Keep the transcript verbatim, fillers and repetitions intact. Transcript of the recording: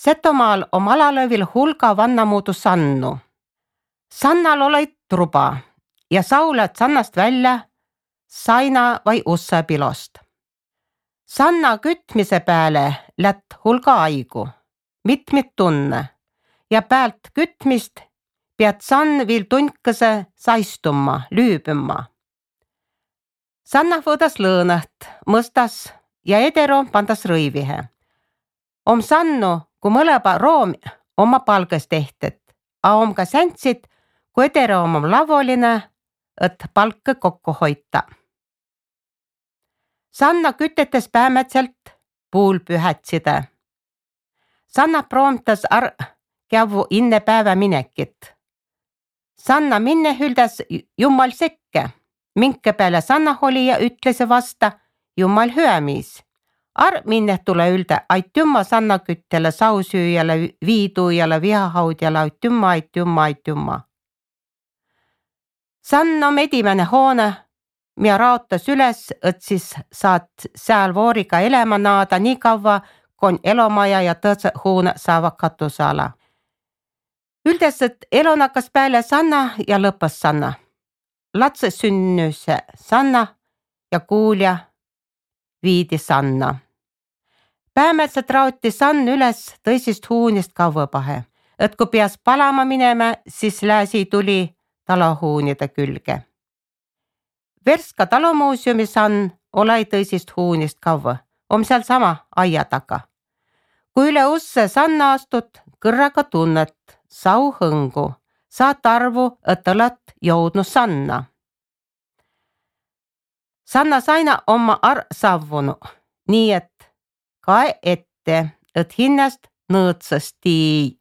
Setomaal om alalövil hulga vannamuudu sannu. Sannal olid truba ja saulad sannast välja saina vai ussapilost. Sanna kütmise pääle lätt hulga aigu, mitmit tunne ja päält kütmist pead sann viil tunkese saistumma, lüübümma. Sanna võõdas lõõnaht, mõstas ja edero pandas rõivihe. Om sannu, kui mõleba room oma palgas tehtet, a om ka säntsid, kui edero om lavoline, et palka kokku hoita. Sanna kütetes päämätselt puul pühätside. Sanna proomtas ar kävu inne päeva minekit. Sanna minne hüldas Jummal sekke, minke peale Sanna oli ja ütlese vasta Jummal hüämis. Ar minne tule ülde aitümma Sanna küttele, sausüüjale, viiduujale, vihahaudjale, aitümma, aitümma, aitümma. Sanna on edimene hoone, mida raotas üles, et siis saad seal vooriga elema naada nii kaua, kui elomaja ja tõõtse hoone saavad katusala. Üldes, et elon hakkas peale Sanna ja lõppes Sanna. Latse sünnüse Sanna ja kuulja viidi Sanna. Päämätselt raoti Sann üles tõsist huunist kauvapahe, et kui peas palama minema, siis lääsi tuli talohuunide külge. Verska talomuuseumi Sann olai tõsist huunist kauva, om seal sama aia taga. Kui üle usse Sanna astut, kõrraga tunnet, sau hõngu, saat arvu, et oled jõudnud Sanna. Sanna saina oma ar savvunu, nii et kae ette, et hinnast nõõtsast tii.